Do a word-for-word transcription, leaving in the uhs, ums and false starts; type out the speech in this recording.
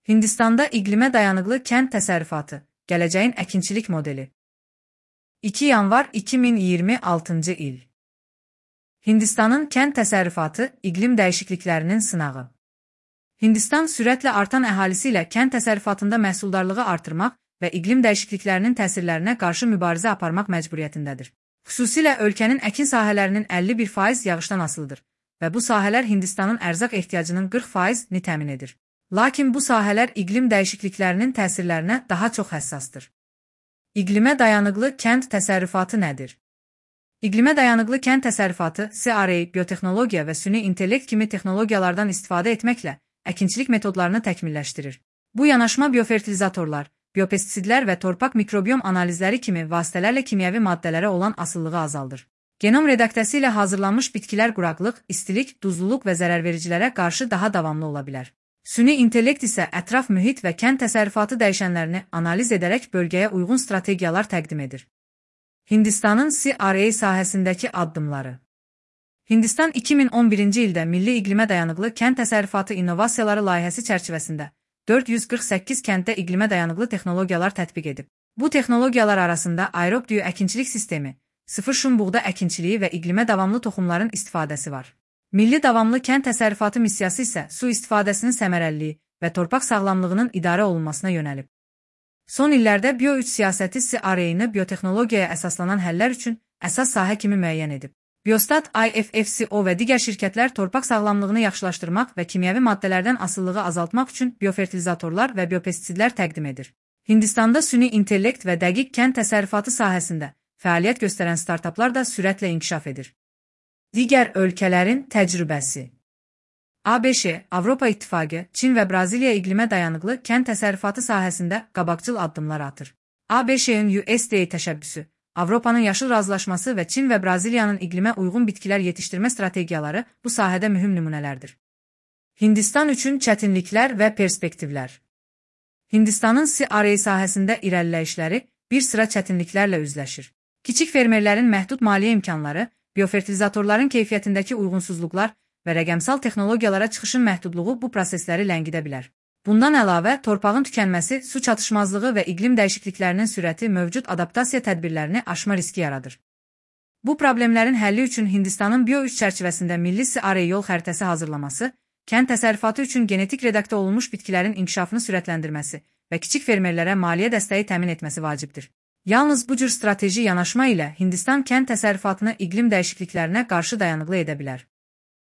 Hindistanda iqlimə dayanıqlı kənd təsərrüfatı, gələcəyin əkinçilik modeli. iki yanvar iki min iyirmi altıncı il. Hindistanın kənd təsərrüfatı iqlim dəyişikliklərinin sınağı. Hindistan sürətlə artan əhalisi ilə kənd təsərrüfatında məhsuldarlığı artırmaq və iqlim dəyişikliklərinin təsirlərinə qarşı mübarizə aparmaq məcburiyyətindədir. Xüsusilə ölkənin əkin sahələrinin əlli bir faiz yağışdan asılıdır və bu sahələr Hindistanın ərzaq ehtiyacının qırx faizini təmin edir. Lakin bu sahələr iqlim dəyişikliklərinin təsirlərinə daha çox həssasdır. İqlimə dayanıqlı kənd təsərrüfatı nədir? İqlimə dayanıqlı kənd təsərrüfatı C R A, biotexnologiya və süni intellekt kimi texnologiyalardan istifadə etməklə əkinçilik metodlarını təkmilləşdirir. Bu yanaşma biofertilizatorlar, biopestisidlər və torpaq mikrobiyom analizləri kimi vasitələrlə kimyəvi maddələrə olan asılılığı azaldır. Genom redaktəsi ilə hazırlanmış bitkilər quraqlıq, istilik, duzluluq və zərərvericilərə qarşı daha davamlı ola bilər. Süni intellekt isə ətraf mühit və kənd təsərrüfatı dəyişənlərini analiz edərək bölgəyə uyğun strategiyalar təqdim edir. Hindistanın C R A sahəsindəki addımları. Hindistan iki min on birinci ildə Milli İqlimə Dayanıqlı Kənd Təsərrüfatı İnnovasiyaları layihəsi çərçivəsində dörd yüz qırx səkkiz kənddə iqlimə dayanıqlı texnologiyalar tətbiq edib. Bu texnologiyalar arasında aerob düyü əkinçilik sistemi, sıfır şum buğda əkinçiliyi və iqlimə davamlı toxumların istifadəsi var. Milli davamlı kənd təsərrüfatı missiyası isə su istifadəsinin səmərəliliyi və torpaq sağlamlığının idarə olunmasına yönəlib. Son illərdə Bio üç siyasəti C R A-nı biotexnologiyaya əsaslanan həllər üçün əsas sahə kimi müəyyən edib. Biostat, I F F C O və digər şirkətlər torpaq sağlamlığını yaxşılaşdırmaq və kimyəvi maddələrdən asılılığı azaltmaq üçün biofertilizatorlar və biopestisidlər təqdim edir. Hindistanda süni intellekt və dəqiq kənd təsərrüfatı sahəsində fəaliyyət göstərən startaplar da sürətlə inkişaf edir. Digər ölkələrin təcrübəsi. A B Ş, Avropa İttifaqı, Çin və Braziliya iqlimə dayanıqlı kənd təsərrüfatı sahəsində qabaqcıl addımlar atır. A B Ş-ın U S D A təşəbbüsü, Avropanın yaşıl razılaşması və Çin və Braziliyanın iqlimə uyğun bitkilər yetişdirmə strategiyaları bu sahədə mühüm nümunələrdir. Hindistan üçün çətinliklər və perspektivlər. Hindistanın C R A sahəsində irəliləyişləri bir sıra çətinliklərlə üzləşir. Kiçik fermerlərin məhdud maliyyə imkanları, biofertilizatorların keyfiyyətindəki uyğunsuzluqlar və rəqəmsal texnologiyalara çıxışın məhdudluğu bu prosesləri ləngidə bilər. Bundan əlavə, torpağın tükənməsi, su çatışmazlığı və iqlim dəyişikliklərinin sürəti mövcud adaptasiya tədbirlərini aşma riski yaradır. Bu problemlərin həlli üçün Hindistanın Bio üç çərçivəsində milli C R A yol xəritəsi hazırlaması, kənd təsərrüfatı üçün genetik redaktə olunmuş bitkilərin inkişafını sürətləndirməsi və kiçik fermerlərə maliyyə dəstəyi təmin etməsi vacibdir. Yalnız bu cür strateji yanaşma ilə Hindistan kənd təsərrüfatını iqlim dəyişikliklərinə qarşı dayanıqlı edə bilər.